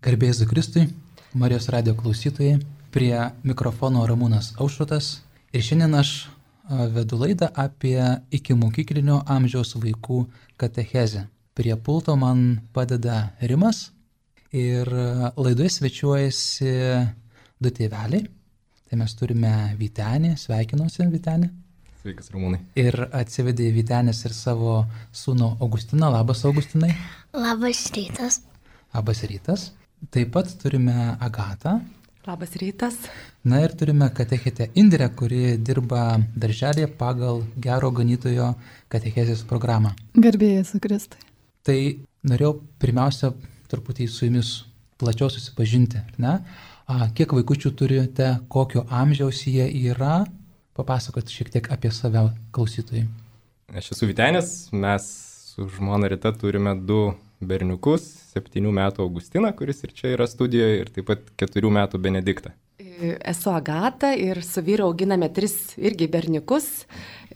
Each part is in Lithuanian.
Garbė Jėzui Kristui, Marijos radijo klausytojai, prie mikrofono Ramūnas Aušrotas ir šiandien aš vedu laidą apie ikimokyklinio amžiaus vaikų katechezę. Prie pulto man padeda Rimas ir laidoje svečiuojasi du tėveliai. Tai mes turime Vytenį, sveikinuosi Vytenį. Sveikas Ramūnai. Ir atsivedė Vytenis ir savo sūnų Augustiną. Labas Augustinai. Labas rytas. Labas rytas. Taip pat turime Agatą. Labas rytas. Na ir turime katechetę Indrę, kuri dirba darželėje pagal Gero Ganytojo katechezės programą. Garbė Jėzui Kristui. Tai norėjau pirmiausia truputį su jumis plačiau susipažinti, ne? Kiek vaikučių turite, kokio amžiaus jie yra, papasakoti šiek tiek apie save klausytojai. Aš esu Vytenis, mes su žmona Rita turime du berniukus, 7 metų Augustiną, kuris ir čia yra studijoje, ir taip pat 4 metų Benediktą. Esu Agata ir su vyru auginame 3 irgi berniukus,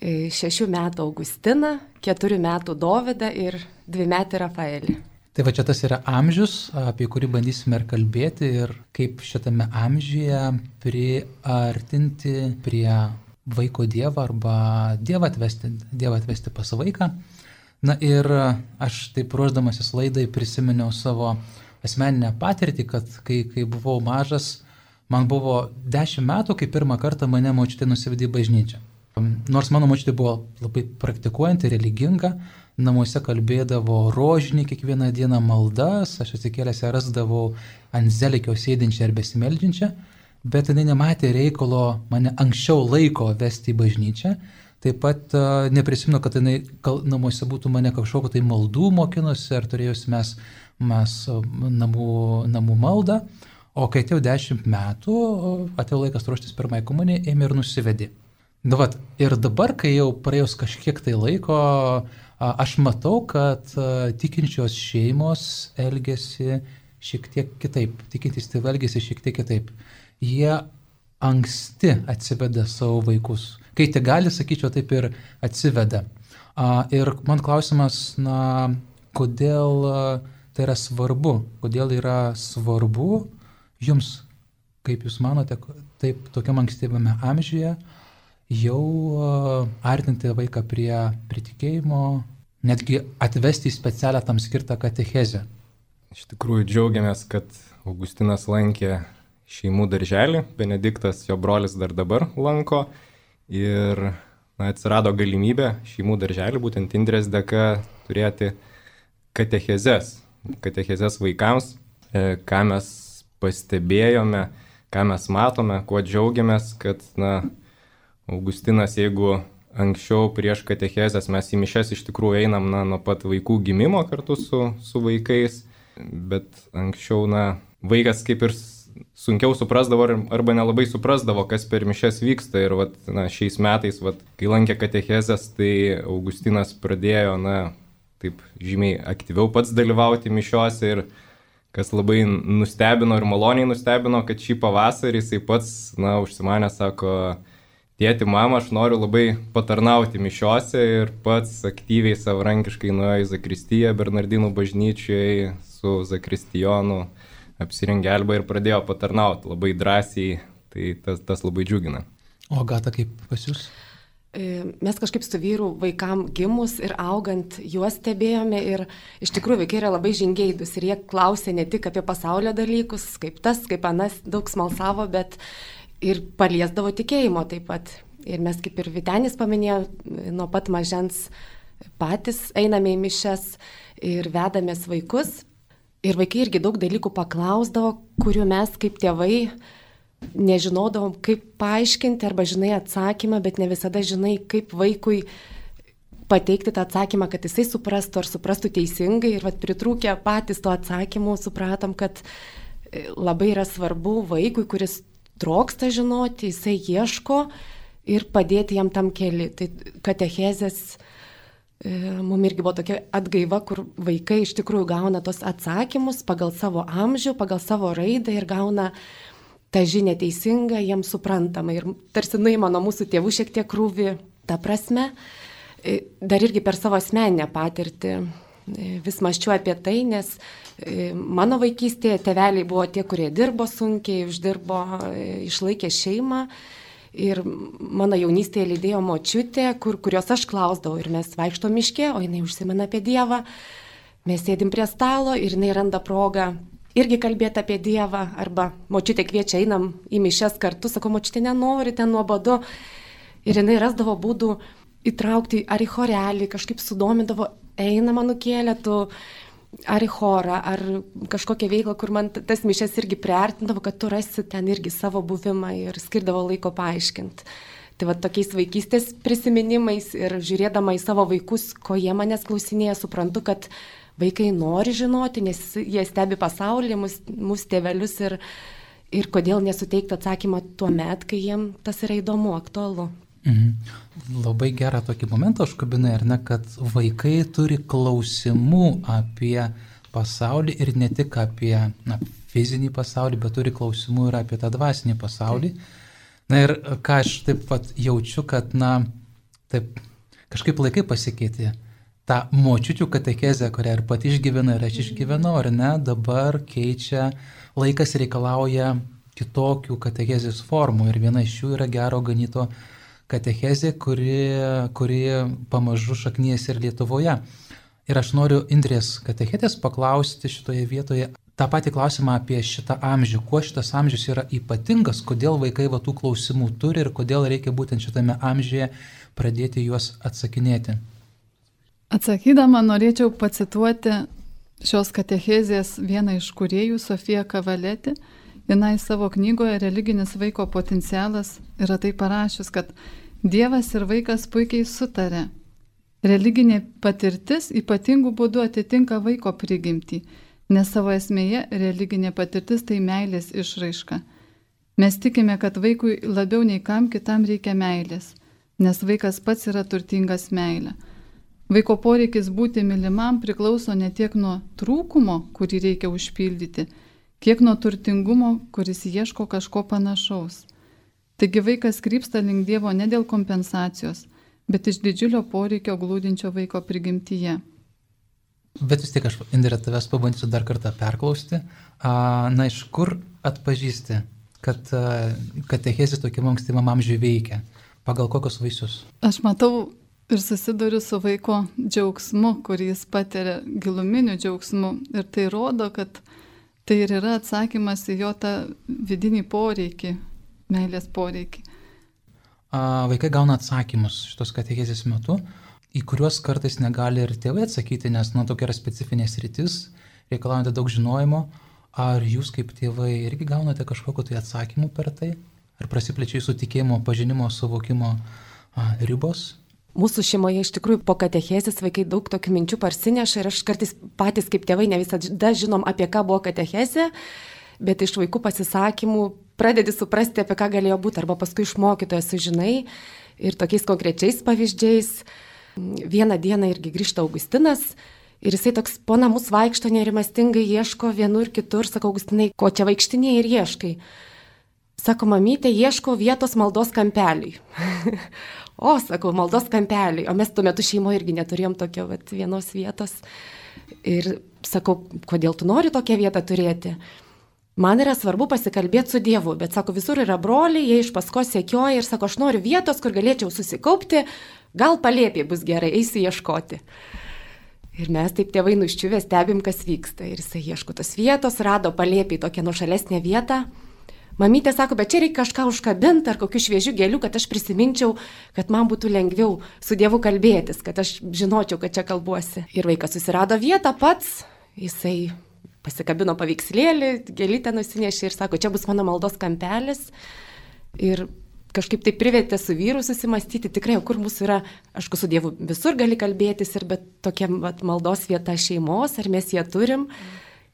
6 metų Augustiną, 4 metų Dovydą ir 2 metų Rafaelį. Tai va čia tas yra amžius, apie kurį bandysime ir kalbėti ir kaip šitame amžiuje priartinti prie vaiko Dievą arba Dievą atvesti pas vaiką. Na ir aš taip ruošdamasis laidai prisiminiau savo asmeninę patirtį, kad kai buvau mažas, man buvo 10 metų, kai pirmą kartą mane močiutė nusivedė į bažnyčią. Nors mano močiutė buvo labai praktikuojanti, religinga, namuose kalbėdavo rožinį kiekvieną dieną maldas, aš atsikėlęs ją rasdavau ant zelikio sėdinčią ar besimeldžiančią, bet jinai nematė reikalo mane anksčiau laiko vesti į bažnyčią. Taip pat neprisimenu, kad jinai namuose būtų mane kažkokio tai maldų mokinusi, ar turėjusi mes namų maldą, o kai atėjo 10 metų, atėjo laikas ruoštis pirmai komunijai, ėmė ir nusivedė. Ir dabar, kai jau praėjus kažkiek tai laiko, aš matau, kad tikinčios šeimos elgiasi šiek tiek kitaip, tikintys tėvai elgiasi šiek tiek kitaip. Jie anksti atsiveda savo vaikus. Kai tik gali, sakyčiau, taip ir atsiveda. Ir man klausimas, kodėl tai yra svarbu? Kodėl yra svarbu jums, kaip jūs manote, taip tokiam ankstyvame amžiuje jau artinti vaiką prie tikėjimo, netgi atvesti į specialią tam skirtą katechezę? Iš tikrųjų džiaugiamės, kad Augustinas lankė šeimų darželį, Benediktas, jo brolis, dar dabar lanko. Ir atsirado galimybė šeimų darželį, būtent Indrės dėka, turėti katechezes vaikams, ką mes pastebėjome, ką mes matome, kuo džiaugiamės, kad Augustinas, jeigu anksčiau prieš katechezes mes į mišias iš tikrųjų einam nuo pat vaikų gimimo kartu su vaikais, bet anksčiau vaikas kaip ir sunkiau suprasdavo arba nelabai suprasdavo, kas per mišias vyksta. Ir šiais metais, kai lankė katechezes, tai Augustinas pradėjo taip žymiai aktyviau pats dalyvauti mišiuose. Ir kas labai nustebino ir maloniai nustebino, kad šį pavasarį jisai pats užsimanė, sako, tėti, mama, aš noriu labai patarnauti mišiuose, ir pats aktyviai savarankiškai nuėjo į zakristiją Bernardinų bažnyčioje su zakristijonu, apsirengė albą ir pradėjo patarnauti labai drąsiai, tai tas labai džiugina. O Agata, kaip pas jūs? Mes kažkaip su vyru vaikam gimus ir augant juos stebėjome, ir iš tikrųjų vaikai yra labai žingeidus ir jie klausė ne tik apie pasaulio dalykus, kaip tas, kaip anas, daug smalsavo, bet ir paliesdavo tikėjimo taip pat. Ir mes, kaip ir Vytenis paminėjo, nuo pat mažens patys einame į mišias ir vedamės vaikus. Ir vaikai irgi daug dalykų paklausdavo, kurių mes kaip tėvai nežinodavom, kaip paaiškinti, arba žinai atsakymą, bet ne visada žinai, kaip vaikui pateikti tą atsakymą, kad jisai suprastų ar suprastų teisingai. Ir pritrūkę patys to atsakymų supratom, kad labai yra svarbu vaikui, kuris troksta žinoti, jisai ieško, ir padėti jam tam keli. Tai katechezės mums irgi buvo tokia atgaiva, kur vaikai iš tikrųjų gauna tos atsakymus pagal savo amžių, pagal savo raidą, ir gauna tą žinią teisingą, jiems suprantamą. Ir tarsi nuima nuo mūsų tėvų šiek tiek krūvį ta prasme. Dar irgi per savo asmeninę patirtį vis maščiau apie tai, nes mano vaikystėje tėveliai buvo tie, kurie dirbo sunkiai, uždirbo, išlaikė šeimą. Ir mano jaunystėje lydėjo močiutė, kurios aš klausdavau. Ir mes vaikštom miške, o jinai užsimena apie Dievą. Mes sėdim prie stalo ir jinai randa progą irgi kalbėti apie Dievą. Arba močiutė kviečia, einam į mišes kartu. Sako, močiutė nenori, ten nuobodu. Ir jinai rasdavo būdų įtraukti ar į chorelį, kažkaip sudomindavo, eina manukėlė, tu ar į chorą, ar kažkokią veiklą, kur man tas mišes irgi priartindavo, kad tu rasi ten irgi savo buvimą ir skirdavo laiko paaiškinti. Tai va tokiais vaikystės prisiminimais ir žiūrėdama į savo vaikus, ko jie manęs klausinėja, suprantu, kad vaikai nori žinoti, nes jie stebi pasaulį, mus tėvelius ir kodėl nesuteikti atsakymą tuo met, kai jiem tas yra įdomu, aktualu. Labai gerą tokį momentą užkabinai, ar ne, kad vaikai turi klausimų apie pasaulį ir ne tik apie fizinį pasaulį, bet turi klausimų ir apie tą dvasinį pasaulį. Na ir ką aš taip pat jaučiu, kad, taip kažkaip laikai pasikeitė. Ta močiučių katechezė, kurią ir pati išgyvena ir aš išgyvenau, ar ne, dabar keičia, laikas reikalauja kitokių katechezės formų ir viena iš jų yra gero ganyto katechezė, kuri pamažu šaknyjasi ir Lietuvoje. Ir aš noriu Indrės katechetės paklausti šitoje vietoje tą patį klausimą apie šitą amžių. Kuo šitas amžius yra ypatingas, kodėl vaikai tų klausimų turi ir kodėl reikia būtent šitame amžiuje pradėti juos atsakinėti. Atsakydama norėčiau pacituoti šios katechezės vieną iš kūrėjų, Sofiją Kavaletį. Jinai savo knygoje Religinis vaiko potencialas yra tai parašius, kad Dievas ir vaikas puikiai sutarė. Religinė patirtis ypatingų būdų atitinka vaiko prigimtį, nes savo esmėje religinė patirtis tai meilės išraiška. Mes tikime, kad vaikui labiau nei kam kitam reikia meilės, nes vaikas pats yra turtingas meilė. Vaiko poreikis būti mylimam priklauso ne tiek nuo trūkumo, kurį reikia užpildyti, kiek nuo turtingumo, kuris ieško kažko panašaus. Taigi vaikas krypsta link Dievo ne dėl kompensacijos, bet iš didžiulio poreikio glūdinčio vaiko prigimtyje. Bet vis tiek aš, Indrė, tavęs pabandysiu dar kartą perklausti. Iš kur atpažįsti, kad katechezė tokiam ankstyvam amžiui veikia? Pagal kokius vaisius? Aš matau ir susiduriu su vaiko džiaugsmu, kurį jis patiria, giluminiu džiaugsmu. Ir tai rodo, kad tai ir yra atsakymas į jo tą vidinį poreikį, meilės poreikį. Vaikai gauna atsakymus šitos katechezės metu, į kuriuos kartais negali ir tėvai atsakyti, nes tokia yra specifinė sritis, reikalaujate daug žinojimo. Ar jūs kaip tėvai irgi gaunate kažkokiu tai atsakymu per tai? Ar prasiplečia jūsų tikėjimo, pažinimo, suvokimo ribos? Mūsų šeimoje iš tikrųjų po katechezės vaikai daug tokių minčių parsineša ir aš kartais patys kaip tėvai ne visada žinom, apie ką buvo katechezė, bet iš vaikų pasisakymų pradedi suprasti, apie ką galėjo būti, arba paskui iš mokytojo sužinai ir tokiais konkrečiais pavyzdžiais. Vieną dieną irgi grįžta Augustinas ir jisai toks po namus vaikšto nerimastingai, ieško vienur kitur, sako, Augustinai, ko čia vaikštinėjai ir ieškai? Sako, mamytė, ieško vietos maldos kampeliui. O, sakau, maldos kampeliui. O mes tuo metu šeimoje irgi neturėjom tokio vienos vietos. Ir sakau, kodėl tu nori tokią vietą turėti? Man yra svarbu pasikalbėti su Dievu, bet sako, visur yra broliai, jie iš paskos sekioja ir sako, aš noriu vietos, kur galėčiau susikaupti, gal palėpė bus gerai, eisiu ieškoti. Ir mes taip tėvai nuščiuvę stebim, kas vyksta. Ir jisai ieško tos vietos, rado palėpė tokią nuošalesnę vietą. Mamytė sako, bet čia reikia kažką užkabinti ar kokių šviežių gėlių, kad aš prisiminčiau, kad man būtų lengviau su Dievu kalbėtis, kad aš žinočiau, kad čia kalbuosi. Ir vaikas susirado vietą pats, jisai pasikabino paveikslėlį, gėlytę nusinešė ir sako, čia bus mano maldos kampelis. Ir kažkaip tai privertė su vyru susimastyti, tikrai, kur mūsų yra, aišku, su Dievu visur gali kalbėtis, bet tokia maldos vieta šeimos, ar mes ją turim.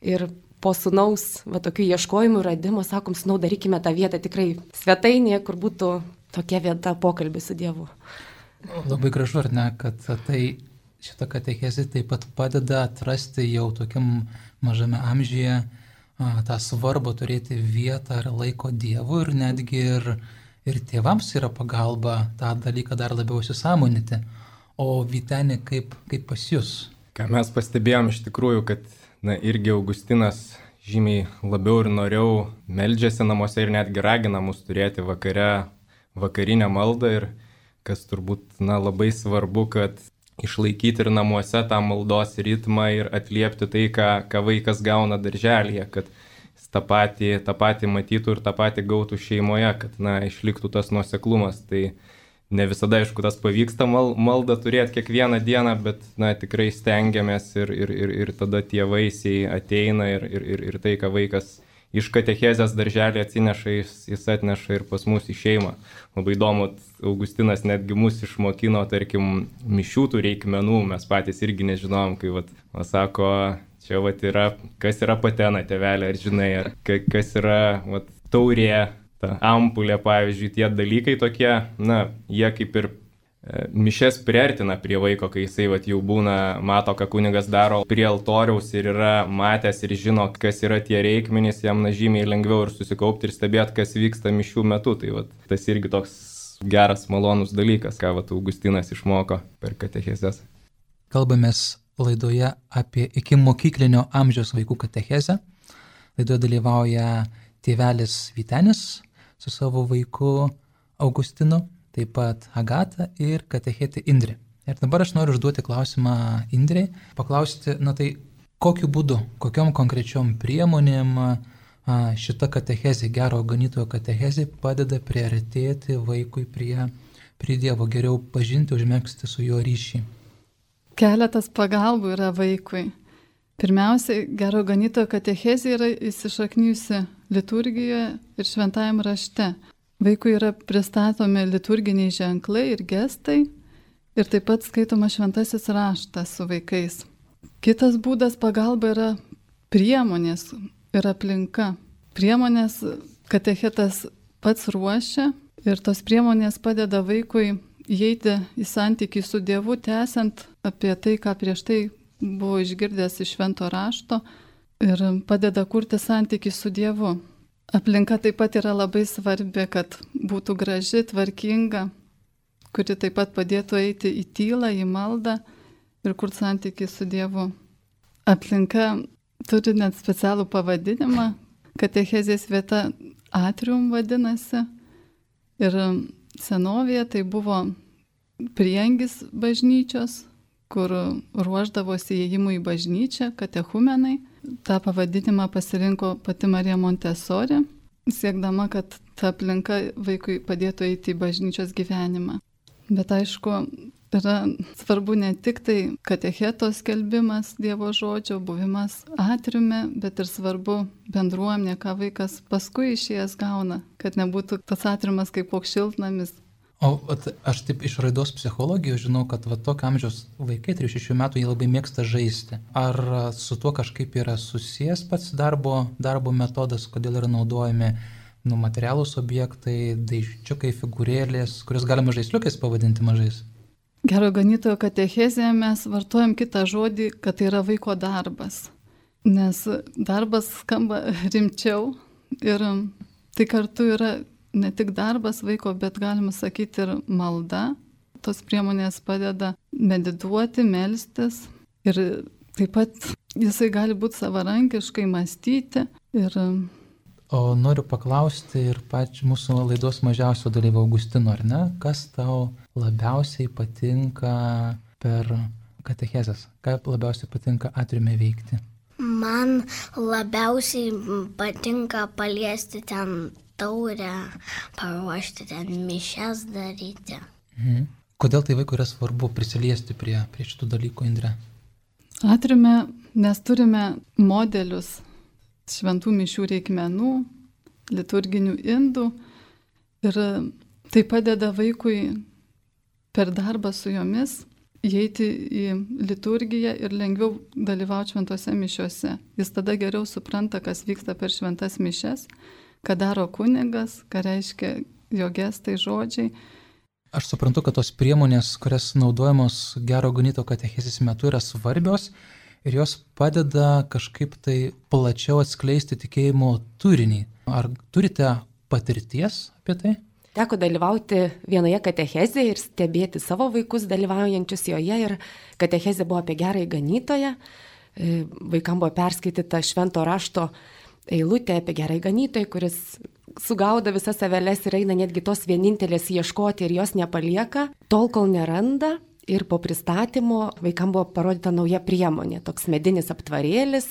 Ir po sūnaus tokių ieškojimų radimo, sakom, sūnau, darykime tą vietą tikrai svetainėje, kur būtų tokia vieta pokalbį su Dievu. Labai gražu, ar ne, kad tai šitą katechezę taip pat padeda atrasti jau tokiam mažame amžiuje tą svarbą turėti vietą ir laiko Dievui ir netgi ir tėvams yra pagalba tą dalyką dar labiau įsisąmoninti. O Vyteni, kaip pas jūs? Ką mes pastebėjom iš tikrųjų, kad irgi Augustinas žymiai labiau ir noriau meldžiasi namuose ir netgi ragina mus turėti vakarinę maldą ir kas turbūt labai svarbu, kad išlaikyti ir namuose tą maldos ritmą ir atliepti tai, ką vaikas gauna darželyje, kad jis tą patį matytų ir tą patį gautų šeimoje, kad išliktų tas nuoseklumas. Tai ne visada, aišku, tas pavyksta maldą turėti kiekvieną dieną, bet tikrai stengiamės ir tada tie vaisiai ateina ir tai, ką vaikas iš katechezės darželį atsineša, jis atneša ir pas mus į šeimą. Labai įdomu, Augustinas netgi mus išmokino, tarkim, mišių tų reikmenų, mes patys irgi nežinom, kai sako, čia yra, kas yra patena, tėvelė, ar žinai, ar kas yra taurė, ta ampulė, pavyzdžiui, tie dalykai tokie, jie kaip ir mišes priartina prie vaiko, kai jisai jau būna, mato, ką kunigas daro prie altoriaus ir yra matęs ir žino, kas yra tie reikmenys, jam žymiai lengviau ir susikaupti ir stebėti, kas vyksta mišių metu. Tai tas irgi toks geras, malonus dalykas, ką Augustinas išmoko per katechezes. Kalbamės laidoje apie iki mokyklinio amžiaus vaikų katechezę. Laidoje dalyvauja tėvelis Vytenis su savo vaiku Augustinu, taip pat Agata ir katechetė Indrė. Ir dabar aš noriu užduoti klausimą Indrei, paklausti, tai kokiu būdu, kokiom konkrečiom priemonėm šita katechezė, gero ganytojo katechezė padeda priartėti vaikui prie Dievo, geriau pažinti, užmegzti su juo ryšį. Keletas pagalbų yra vaikui. Pirmiausia, gero ganytojo katechezė yra įsišaknijusi liturgijoje ir šventajam rašte. Vaikui yra pristatomi liturginiai ženklai ir gestai ir taip pat skaitoma šventasis raštas su vaikais. Kitas būdas pagalba yra priemonės ir aplinka. Priemonės katechetas pats ruošia ir tos priemonės padeda vaikui įeiti į santykį su Dievu, tęsiant apie tai, ką prieš tai buvo išgirdęs iš švento rašto ir padeda kurti santykį su Dievu. Aplinka taip pat yra labai svarbi, kad būtų graži, tvarkinga, kuri taip pat padėtų eiti į tylą, į maldą ir kurti santykį su Dievu. Aplinka turi net specialų pavadinimą, katechezės vieta atrium vadinasi. Ir senovėje tai buvo priengis bažnyčios, kur ruošdavosi įėjimui į bažnyčią, katechumenai. Ta pavadinimą pasirinko pati Marija Montessori, siekdama, kad ta aplinka vaikui padėtų eiti į bažnyčios gyvenimą. Bet aišku, yra svarbu ne tik tai katecheto skelbimas Dievo žodžio, buvimas atriume, bet ir svarbu bendruomenė, ką vaikas paskui išėjęs gauna, kad nebūtų tas atriumas kaip koks šiltnamis. O aš taip iš raidos psichologijos žinau, kad tokio amžiaus vaikai, 3-6 metų, jie labai mėgsta žaisti. Ar su tuo kažkaip yra susijęs pats darbo metodas, kodėl yra naudojami materialūs objektai, daikčiukai, figūrėlės, kurios galima žaisliukais pavadinti mažais? Gero ganytojo katechezėje mes vartojam kitą žodį, kad tai yra vaiko darbas. Nes darbas skamba rimčiau ir tai kartu yra ne tik darbas vaiko, bet galima sakyti ir malda. Tos priemonės padeda medituoti, melstis ir taip pat jisai gali būti savarankiškai mąstyti. O noriu paklausti ir mūsų laidos mažiausio dalyvio Augustino, ar ne? Kas tau labiausiai patinka per katechezes? Ką labiausiai patinka atriume veikti? Man labiausiai patinka paliesti ten taurę, paruošti ten mišias daryti. Kodėl tai vaikui yra svarbu prisiliesti prie šitų dalykų, Indre? Atriume mes turime modelius šventų mišių reikmenų, liturginių indų ir tai padeda vaikui per darbą su jomis įeiti į liturgiją ir lengviau dalyvauti šventose mišiose. Jis tada geriau supranta, kas vyksta per šventas mišes, ką daro kunigas, ką reiškia jo gestai, žodžiai. Aš suprantu, kad tos priemonės, kurias naudojamos gero ganytojo katechezės metu, yra svarbios ir jos padeda kažkaip tai plačiau atskleisti tikėjimo turinį. Ar turite patirties apie tai? teko dalyvauti vienoje katechezėje ir stebėti savo vaikus dalyvaujančius joje. Ir katechezė buvo apie gerąjį ganytoją. Vaikam buvo perskaityta švento rašto eilutė apie gerąjį ganytoją, kuris sugaudo visas aveles ir eina netgi tos vienintelės ieškoti ir jos nepalieka, tol kol neranda. Ir po pristatymo vaikam buvo parodyta nauja priemonė, toks medinis aptvarėlis,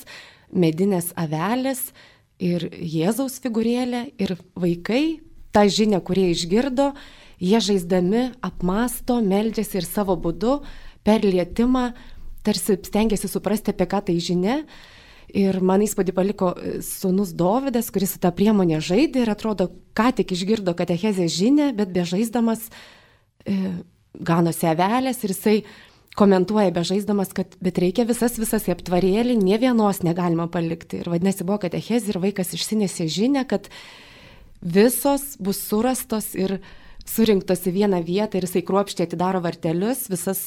medinės avelės ir Jėzaus figūrėlė. Ir vaikai tą žinią, kurie išgirdo, jie žaisdami apmąsto, meldžiasi ir savo būdu per lietimą tarsi stengiasi suprasti, apie ką tai žinia. Ir man įspūdį paliko sūnus Dovydas, kuris su tą priemonę žaidė ir atrodo, ką tik išgirdo katechezės žinią, bet bežaisdamas ganosi avelės ir jisai komentuoja bežaisdamas, kad bet reikia visas į aptvarėlį, nė vienos negalima palikti. Ir vadinasi, buvo katechezė ir vaikas išsinešė žinią, kad visos bus surastos ir surinktos į vieną vietą ir jisai kruopščiai atidaro vartelius, visas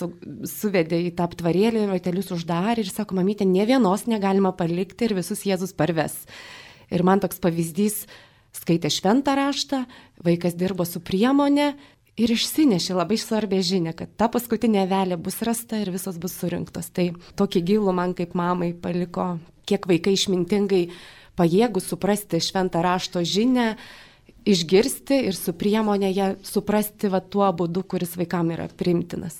suvedė į tą aptvarėlį ir vartelius uždarė ir sako, mamytė, nė vienos negalima palikti ir visus Jėzus parves. Ir man toks pavyzdys, skaitė šventą raštą, vaikas dirbo su priemonė ir išsinešė labai svarbę žinią, kad ta paskutinė avelė bus rasta ir visos bus surinktos. Tai tokį gilų man kaip mamai paliko, kiek vaikai išmintingai pajėgų suprasti šventą rašto žinią, išgirsti ir su priemonė ją suprasti tuo būdu, kuris vaikam yra priimtinas.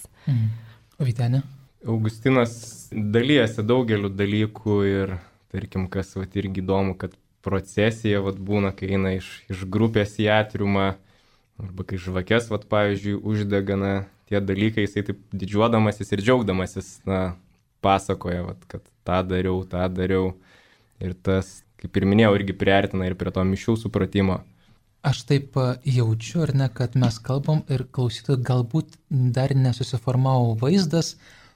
O Vytenė? Augustinas dalyjasi daugeliu dalykų ir, tarkim, kas irgi įdomu, kad procesija būna, kai eina iš grupės į atriumą, arba kai žvakės, pavyzdžiui, uždegana tie dalykai, jisai taip didžiuodamasis ir džiaugdamasis, pasakoja, kad tą dariau. Ir tas, kaip ir minėjau, irgi priartina ir prie to mišių supratimo. Aš taip jaučiu, ar ne, kad mes kalbam ir klausytojai galbūt dar nesusiformavo vaizdas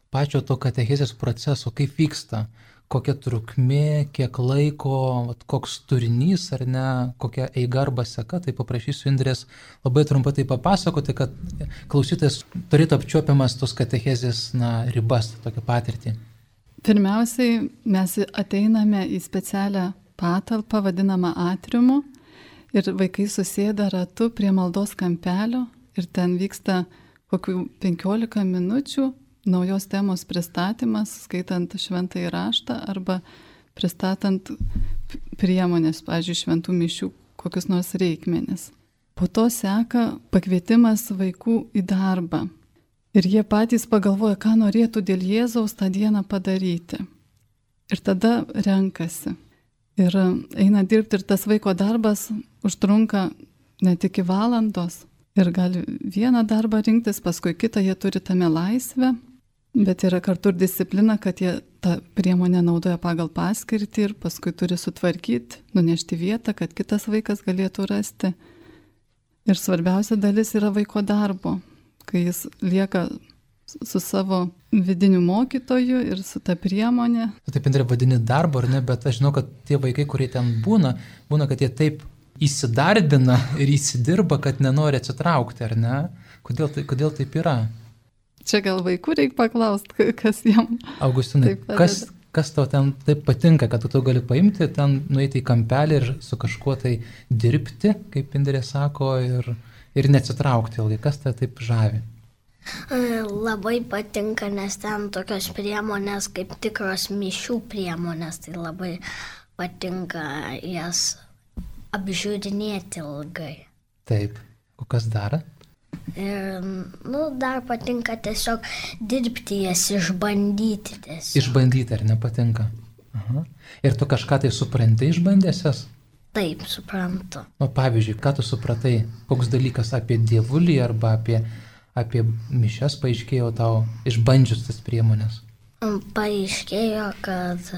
pačio to katechezės proceso, kaip vyksta, kokia trukmė, kiek laiko, koks turinys, ar ne, kokia eiga arba seka, tai paprašysiu Indrės labai trumpai tai papasakoti, kad klausytojas turėtų apčiuopiamas tos katechezės ribas, tokią patirtį. Pirmiausiai mes ateiname į specialią patalpą, vadinamą atriumu, ir vaikai susėda ratu prie maldos kampelio ir ten vyksta kokių 15 minučių naujos temos pristatymas, skaitant šventąjį raštą arba pristatant priemonės, pavyzdžiui, šventų mišių, kokius nors reikmenis. Po to seka pakvietimas vaikų į darbą. Ir jie patys pagalvoja, ką norėtų dėl Jėzaus tą dieną padaryti. Ir tada renkasi. Ir eina dirbti ir tas vaiko darbas užtrunka net iki valandos. Ir gali vieną darbą rinktis, paskui kitą, jie turi tame laisvę. Bet yra kartu ir disciplina, kad jie tą priemonę naudoja pagal paskirtį ir paskui turi sutvarkyti, nunešti vietą, kad kitas vaikas galėtų rasti. Ir svarbiausia dalis yra vaiko darbo, kai jis lieka su savo vidiniu mokytoju ir su ta priemonė. Taip, Indrė, vadini darbo, ar ne, bet aš žinau, kad tie vaikai, kurie ten būna, kad jie taip įsidarbina ir įsidirba, kad nenori atsitraukti, ar ne? Kodėl taip yra? Čia gal vaikų reikia paklausti, kas jam. Augustinai, kas tau ten taip patinka, kad tu gali paimti, ten nueiti į kampelį ir su kažkuo tai dirbti, kaip Indrė sako, ir neatsitraukti ilgai. Kas tau taip žavi? Labai patinka, nes ten tokios priemonės kaip tikros mišių priemonės, tai labai patinka jas apžiūrinėti ilgai. Taip, o kas dar? Ir, dar patinka tiesiog dirbti jas, išbandyti tiesiog. Išbandyti, ar nepatinka? Aha. Ir tu kažką tai supranti išbandęsias? Taip, suprantu. Pavyzdžiui, ką tu supratai, koks dalykas apie dievulį arba apie mišias paaiškėjo tau išbandžius tas priemonės? Paaiškėjo, kad,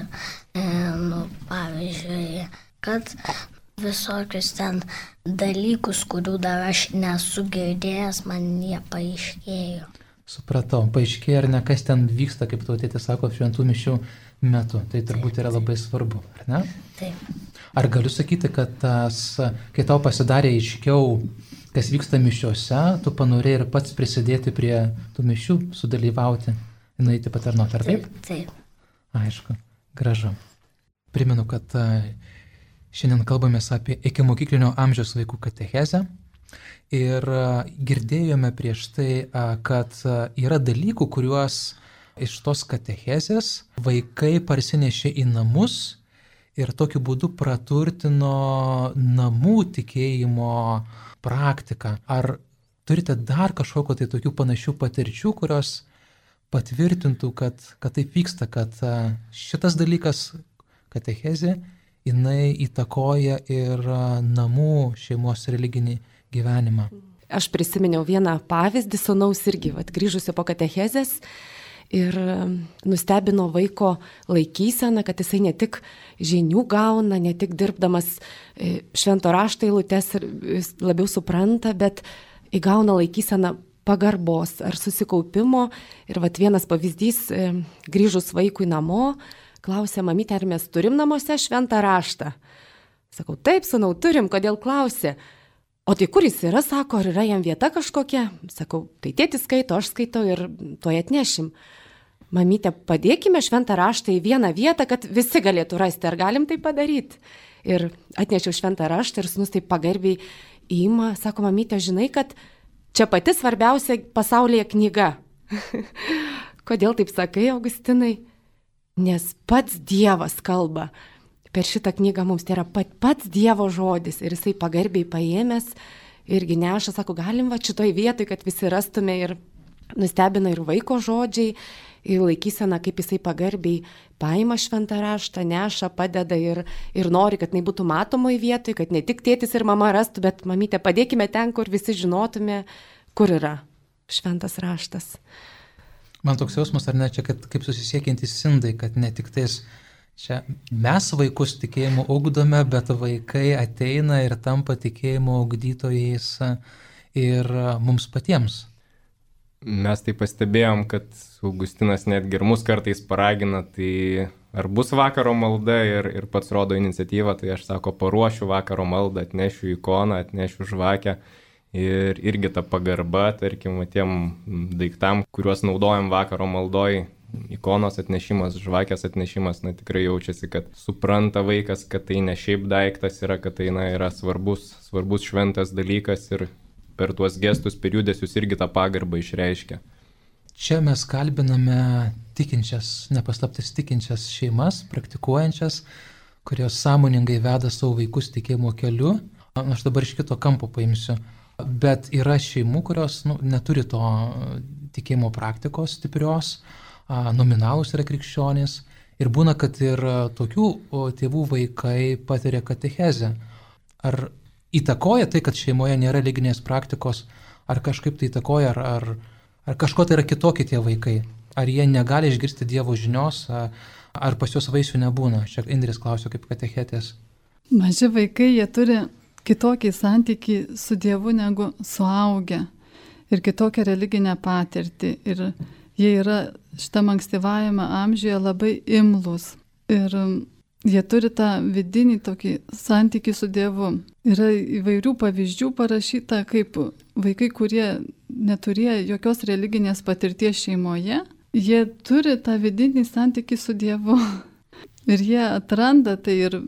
pavyzdžiui, kad visokius ten dalykus, kurių dar aš nesu girdėjęs, man jie paaiškėjo. Supratau, paaiškėjo ar ne, kas ten vyksta, kaip tavo tėtis sako, šventų mišių metu. Tai turbūt yra labai svarbu, ar ne? Taip. Ar galiu sakyti, kad kai tau pasidarė aiškiau, kas vyksta mišiuose, tu panorėjai ir pats prisidėti prie tų mišių, sudalyvauti, nueiti patarnauti, ar taip? Taip. Aišku, gražu. Primenu, kad šiandien kalbamės apie ikimokyklinio amžiaus vaikų katechezę. Ir girdėjome prieš tai, kad yra dalykų, kuriuos iš tos katechezės vaikai parsinešė į namus ir tokiu būdu praturtino namų tikėjimo praktiką. Ar turite dar kažkokio tai tokių panašių patirčių, kurios patvirtintų, kad taip vyksta, kad šitas dalykas, katechezė, jinai įtakoja ir namų šeimos religinį gyvenimą? Aš prisiminiau vieną pavyzdį sūnaus irgi, grįžusio po katechezės ir nustebino vaiko laikysena, kad jisai ne tik žinių gauna, ne tik dirbdamas švento rašto eilutes ir labiau supranta, bet įgauna laikyseną pagarbos ar susikaupimo. Ir vienas pavyzdys, grįžus vaikui namo, klausė mamytė, ar mes turim namuose šventą raštą. Sakau, taip, sūnau, turim, kodėl klausė? O tai kur jis yra, sako, ar yra jam vieta kažkokia? Sakau, tai tėtis skaito, aš skaitau ir tuoj atnešim. Mamytė, padėkime šventą raštą į vieną vietą, kad visi galėtų rasti, ar galim tai padaryti. Ir atnešiau šventą raštą ir sūnus taip pagarbiai įima, sako, mamytė, žinai, kad čia pati svarbiausia pasaulyje knyga. Kodėl taip sakai, Augustinai? Nes pats Dievas kalba. Per šitą knygą mums tai yra pats Dievo žodis. Ir jisai pagarbiai paėmęs irgi neša, sako, galim šitoj vietoj, kad visi rastume, ir nustebina ir vaiko žodžiai, ir laikysena, kaip jisai pagarbiai paima šventą raštą, neša, padeda ir nori, kad jinai būtų matomoje vietoje, kad ne tik tėtis ir mama rastų, bet mamytė, padėkime ten, kur visi žinotume, kur yra šventas raštas. Man toks jausmas, ar ne, čia kaip susisiekiantys indai, kad ne tik tais čia mes vaikus tikėjimo ugdome, bet vaikai ateina ir tampa tikėjimo ugdytojais ir mums patiems. Mes tai pastebėjom, kad Augustinas netgi ir mus kartais paragina, tai ar bus vakaro malda ir pats rodo iniciatyvą, tai aš sako, paruošiu vakaro maldą, atnešiu ikoną, atnešiu žvakę. Ir irgi ta pagarba, tarkim, tiem daiktam, kuriuos naudojam vakaro maldoj, ikonos atnešimas, žvakės atnešimas, tikrai jaučiasi, kad supranta vaikas, kad tai ne šiaip daiktas yra, kad tai yra svarbus šventas dalykas ir per tuos gestus, per judesius irgi tą pagarbą išreiškia. Čia mes kalbiname tikinčias, nepaslaptis tikinčias šeimas, praktikuojančias, kurios sąmoningai veda savo vaikus tikėjimo keliu. Aš dabar iš kito kampo paimsiu. Bet yra šeimų, kurios neturi to tikėjimo praktikos stiprios, nominalūs yra krikščionys. Ir būna, kad ir tokių tėvų vaikai patiria katechezę. Ar įtakoja tai, kad šeimoje nėra religinės praktikos, ar kažkaip tai įtakoja, ar kažko tai yra kitokie tie vaikai? Ar jie negali išgirsti Dievo žinios, ar pas juos vaisių nebūna? Čia Indrės klausė kaip katechetės. Maži vaikai, jie turi kitokį santykį su Dievu negu suaugę ir kitokią religinę patirtį. Ir jie yra šitam ankstyvajame amžiuje labai imlūs. Ir jie turi tą vidinį tokį santykį su Dievu. Yra įvairių pavyzdžių parašyta, kaip vaikai, kurie neturėjo jokios religinės patirties šeimoje, jie turi tą vidinį santykį su Dievu. Ir jie atranda tai ir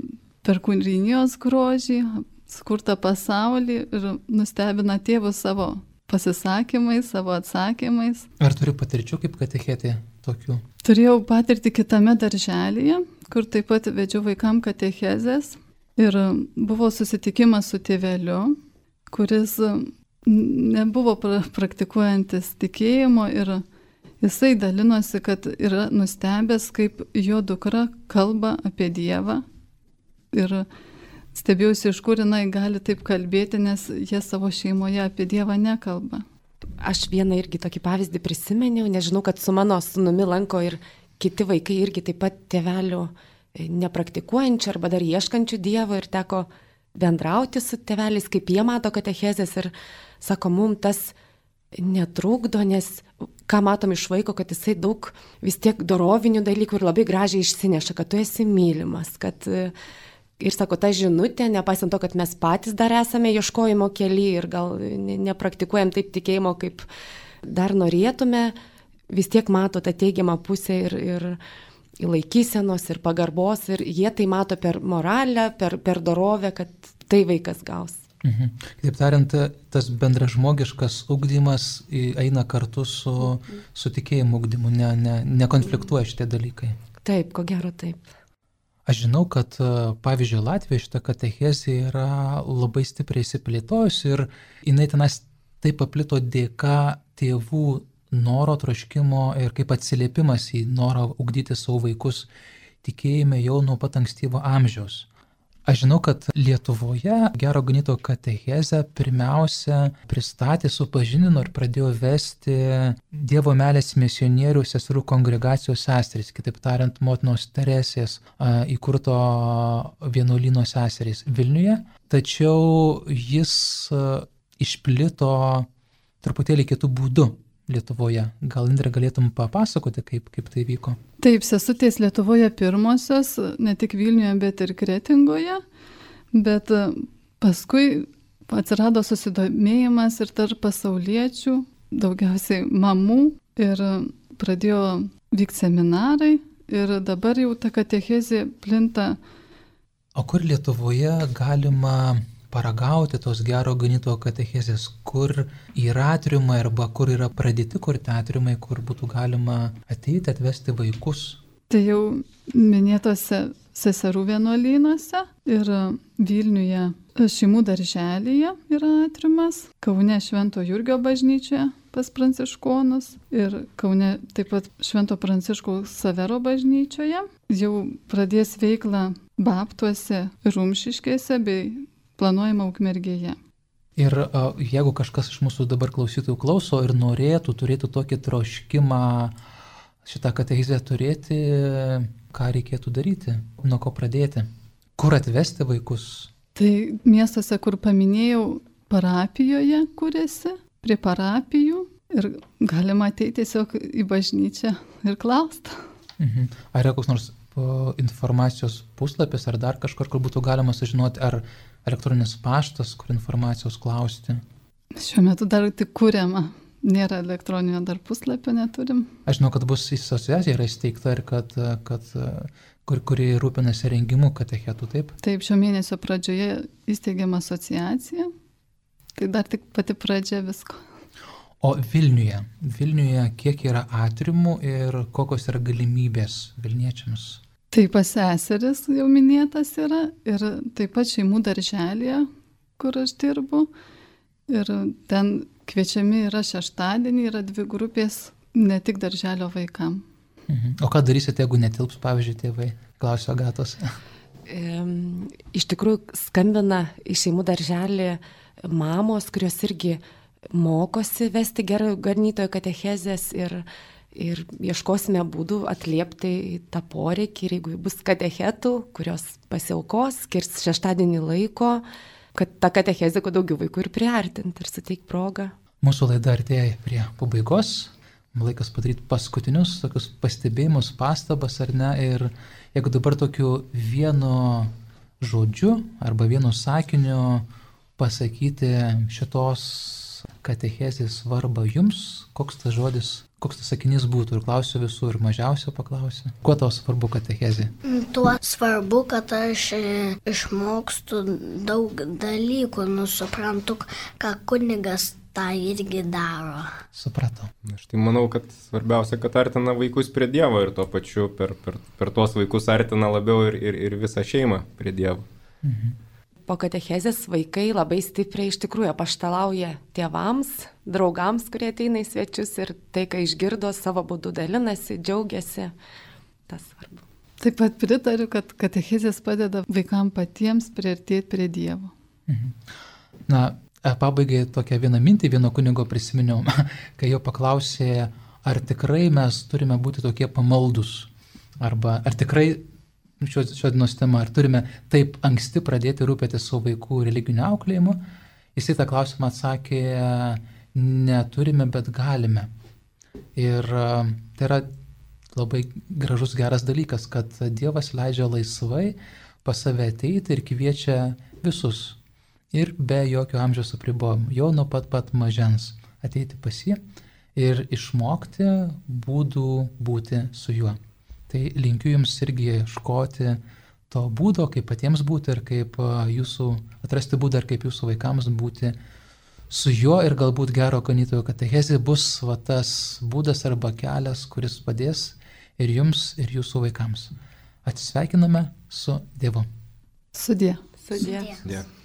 per kūrinijos grožį, skurtą pasaulį ir nustebina tėvus savo pasisakymais, savo atsakymais. Ar turi patirčių kaip katechetė tokių? Turėjau patirtį kitame darželyje, kur taip pat vedžiau vaikam katechezės ir buvo susitikimas su tėveliu, kuris nebuvo praktikuojantis tikėjimo ir jisai dalinosi, kad yra nustebęs, kaip jo dukra kalba apie Dievą ir stebėjausi, iš kur jinai gali taip kalbėti, nes jie savo šeimoje apie Dievą nekalba. Aš vieną irgi tokį pavyzdį prisimeniau, nežinau, kad su mano sūnumi lanko ir kiti vaikai irgi taip pat tėvelių nepraktikuojančių arba dar ieškančių Dievo ir teko bendrauti su tėveliais, kaip jie mato katechezės ir sako, mums tas netrukdo, nes ką matom iš vaiko, kad jisai daug vis tiek dorovinių dalykų ir labai gražiai išsineša, kad tu esi mylimas, kad ir sako, ta žinutė, nepaisant to, kad mes patys dar esame ieškojimo kely ir gal nepraktikuojam taip tikėjimo, kaip dar norėtume, vis tiek mato tą teigiamą pusę ir laikysenos, ir pagarbos, ir jie tai mato per moralę, per dorovę, kad tai vaikas gaus. Kitaip tariant, tas bendražmogiškas ugdymas eina kartu su tikėjimo ugdymu, nekonfliktuoja šitie dalykai. Taip, ko gero taip. Aš žinau, kad pavyzdžiui Latvijoje šita katechezė yra labai stipriai įsiplėtojusi ir jinai tenas taip paplito dėka tėvų noro, troškimo ir kaip atsiliepimas į norą ugdyti savo vaikus tikėjime jau nuo pat ankstyvo amžiaus. Aš žinau, kad Lietuvoje Gero Ganytojo katechezę pirmiausia pristatė, supažindino ir pradėjo vesti Dievo meilės misionierių seserų kongregacijos seserys, kitaip tariant, motinos Teresės įkurto vienuolyno seserys Vilniuje. Tačiau jis išplito truputėlį kitų būdų Lietuvoje. Gal, Indrė, galėtum papasakoti, kaip tai vyko? Taip, sesutės Lietuvoje pirmosios, ne tik Vilniuje, bet ir Kretingoje, bet paskui atsirado susidomėjimas ir tarp pasauliečių, daugiausiai mamų, ir pradėjo vykti seminarai ir dabar jau ta katechezė plinta. O kur Lietuvoje galima paragauti tos Gero Ganytojo katechezės, kur yra atriumai arba kur yra pradėti kurti atriumai, kur būtų galima ateiti, atvesti vaikus? Tai jau minėtose seserų vienuolynuose ir Vilniuje šeimų darželyje yra atriumas, Kaune Švento Jurgio bažnyčioje pas pranciškonus ir Kaune taip pat Švento Pranciškaus Savero bažnyčioje. Jau pradės veiklą Babtuose ir Rumšiškėse bei planuojama Ukmergėje. Ir jeigu kažkas iš mūsų dabar klausytojų klauso ir norėtų, turėtų tokį troškimą šitą katechezę turėti, ką reikėtų daryti, nuo ko pradėti, kur atvesti vaikus? Tai miestuose, kur paminėjau, parapijoje kuriasi, prie parapijų ir galima ateiti tiesiog į bažnyčią ir klausti. Ar yra koks nors informacijos puslapis ar dar kažkur, kur būtų galima sužinoti, ar elektroninis paštas, kur informacijos klausti? Šiuo metu dar tik kuriama. Nėra elektroninio dar puslapio, neturim. Aš žinau, kad bus asociacija yra įsteigta ir kuri rūpinasi rengimu katechetų, taip? Taip, šio mėnesio pradžioje įsteigiama asociacija. Tai dar tik pati pradžia visko. O Vilniuje kiek yra atriumų ir kokios yra galimybės vilniečiams? Tai pas seseris jau minėtas yra ir taip pat šeimų darželėje, kur aš dirbu. Ir ten kviečiami yra šeštadienį, yra 2 grupės, ne tik darželio vaikam. O ką darysite, jeigu netilps, pavyzdžiui, tėvai? Klausiu Agatos. Iš tikrųjų skambina į šeimų darželį mamos, kurios irgi mokosi vesti Gero Ganytojo katechezės ir ieškosime būdų atliepti tą poreikį. Ir jeigu bus katechetų, kurios pasiaukos, skirs šeštadienį laiko, kad tą katechezę kuo daugiau vaikų ir priartinti ir suteikti progą. Mūsų laida artėja prie pabaigos. Laikas padaryti paskutinius tokius pastebėjimus, pastabas ar ne. Ir jeigu dabar tokiu vienu žodžiu arba vienu sakiniu pasakyti šitos katechezės svarbą jums, koks tas žodis, koks tas sakinys būtų? Ir klausiu visų, ir mažiausio paklausiu. Kuo tau svarbu katechezė? Tuo svarbu, kad aš išmokstu daug dalykų, suprantu, ką kunigas tą irgi daro. Supratau. Aš tai manau, kad svarbiausia, kad artina vaikus prie Dievo ir tuo pačiu per tuos vaikus artina labiau ir visą šeimą prie Dievo. Po katechezės vaikai labai stipriai iš tikrųjų apaštalauja tėvams, draugams, kurie ateina į svečius ir tai, ką išgirdo, savo būdu dalinasi, džiaugiasi. Tas svarbu. Taip pat pritariu, kad katechezės padeda vaikams patiems priartėti prie Dievo. Na, pabaigai tokią vieną mintį, vieno kunigo prisiminiau, kai jo paklausė, ar tikrai mes turime būti tokie pamaldus, arba ar tikrai šios dienos tema, ar turime taip anksti pradėti rūpėti savo vaikų religiniu auklėjimu. Jisai tą klausimą atsakė, neturime, bet galime. Ir tai yra labai gražus, geras dalykas, kad Dievas leidžia laisvai pas save ateiti ir kviečia visus. Ir be jokio amžiaus apribojimų, jau nuo pat mažens ateiti pas jį ir išmokti būdų būti su juo. Tai linkiu jums irgi ieškoti to būdo, kaip patiems būti ir kaip atrasti būdą ir kaip jūsų vaikams būti su juo ir galbūt gero ganytojo katechezė bus tas būdas arba kelias, kuris padės ir jums, ir jūsų vaikams. Atsisveikiname su Dievu. Sudie. Sudie. Dėkui.